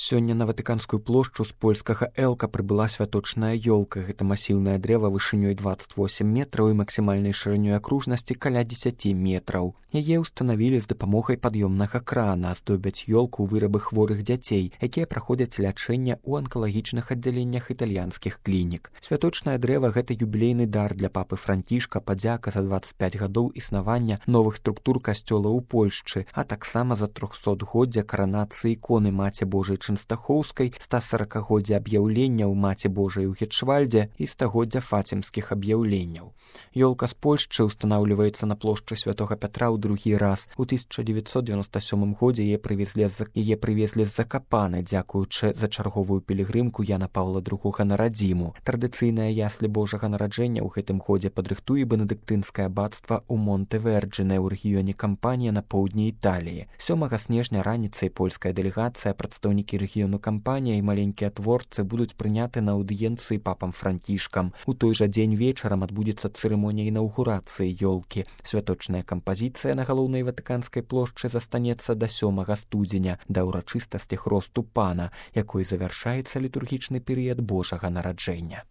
Сёння на Ватыканскую плошчу з польскага Элка прыбыла святочная ёлка. Гэта масіўнае дрэва вышынёй 28 метраў і максімальнай шырынёй акружнасці каля 10 метраў. Яе ўстанавілі з дапамогай пад'ёмнага крана, аздобяць ёлку вырабы хворых дзяцей, якія праходзяць лячэнне ў анкалагічных аддзяленнях італьянскіх клінік. Святочнае дрэва гэта юбілейны дар для папы Францішка, падзяка за 25 гадоў існавання новых структур касцёла ў Польшчы, а таксама за 300годдзя каранацыі іконы Маці Божай Чэнстахоўскай, 140годдзя аб'яўленняў Маці Божай у Гетшвальдзе і 100годдзя фацімскіх аб'яўленняў. Ёлка з Польшчы ўстанаўліваецца на плошчы Святога Пятра ў другі раз. У 1997 годзе яе прывезлі з Закапаны, дзякуючы за чарговую пілігрымку Яна Паўла II на радзіму. Традыцыйнае яслі Божага нараджэння ў гэтым годзе падрыхтуе бенедыктынскае аббацтва ў Монтэверджине ў рэгіёне Кампанія на поўдні Італіі. 7 снежня раніцай польская дэлегацыя, прадстаўнікі рэгіёну Кампанія і маленькія творцы будуць прыняты на аўдыенцыі папам Францішкам. У той жа дзень вечарам адбудзецца цырымонія інаўгурацыі ёлкі. Святочная кампазіцыя на галоўнай Ватыканскай плошчы застанецца да 7 студзеня, да ўрачыстасці хросту пана, якой завяршаецца літургічны перыяд Божага нараджэння.